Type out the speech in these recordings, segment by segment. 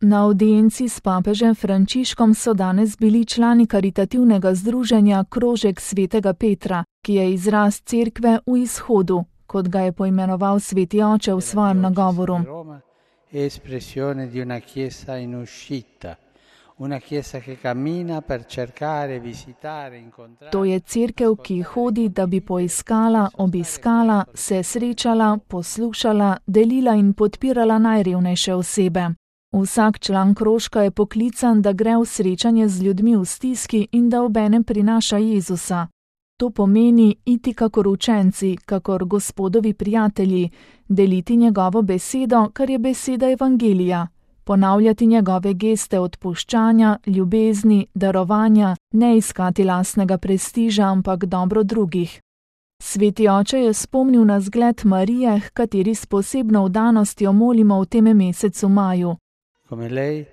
Na audienci s papežem Frančiškom so danes bili člani karitativnega združenja Krožek svetega Petra, ki je izraz cerkve v izhodu, kot ga je poimenoval sveti oče v svojem nagovoru. To je cerkev, ki hodi, da bi poiskala, obiskala, se srečala, poslušala, delila in podpirala najrevnejše osebe. Vsak član krožka je poklican, da gre v srečanje z ljudmi v stiski in da obenem prinaša Jezusa. To pomeni iti kakor učenci, kakor Gospodovi prijatelji, deliti njegovo besedo, kar je beseda evangelija, ponavljati njegove geste odpuščanja, ljubezni, darovanja, ne iskati lastnega prestiža, ampak dobro drugih. Sveti oče je spomnil na zgled Marije, h kateri s posebno vdanostjo molimo v tem mesecu maju. Come lei,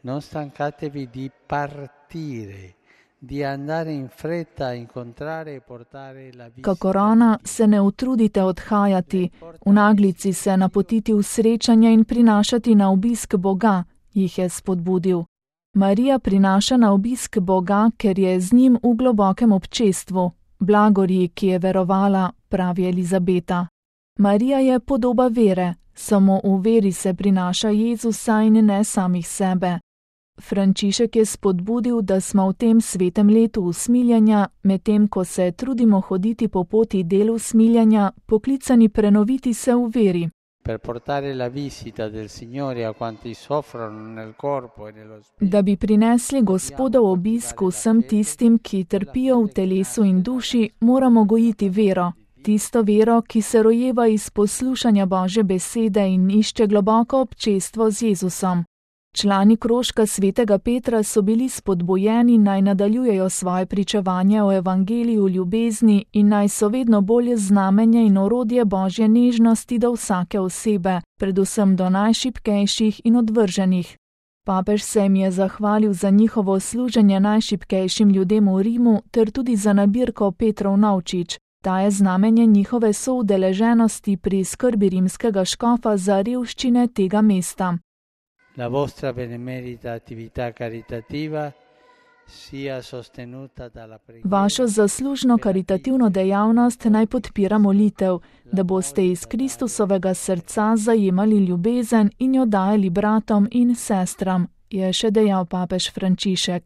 non stancatevi di partire, di andare in fretta a incontrare e portare la visita. Kakor ona, se ne utrudite odhajati, v naglici se napotiti v srečanje in prinašati na obisk Boga, jih je spodbudil. Marija prinaša na obisk Boga, ker je z njim v globokem občestvu, blagorji, ki je verovala, pravi Elizabeta. Marija je podoba vere. Samo v veri se prinaša Jezusa in ne samih sebe. Frančišek je spodbudil, da smo v tem svetem letu usmiljenja, medtem ko se trudimo hoditi po poti delu usmiljenja, poklicani prenoviti se v veri. Da bi prinesli Gospodov obisk vsem tistim, ki trpijo v telesu in duši, moramo gojiti vero. Tisto vero, ki se rojeva iz poslušanja Božje besede in išče globoko občestvo z Jezusom. Člani krožka svetega Petra so bili spodbujeni, naj nadaljujejo svoje pričevanje o evangeliju ljubezni in naj so vedno bolje znamenje in orodje Božje nežnosti do vsake osebe, predvsem do najšibkejših in odvrženih. Papež se jim je zahvalil za njihovo služenje najšibkejšim ljudem v Rimu ter tudi za nabirko Petrov novčič. Ta je znamenje njihove soudeleženosti pri skrbi rimskega škofa za revščine tega mesta. La vostra benemerita attività caritativa sia sostenuta dalla preghiera. Vašo zaslužno karitativno dejavnost naj podpira molitev, da boste iz Kristusovega srca zajemali ljubezen in jo dajali bratom in sestram, je še dejal papež Frančišek.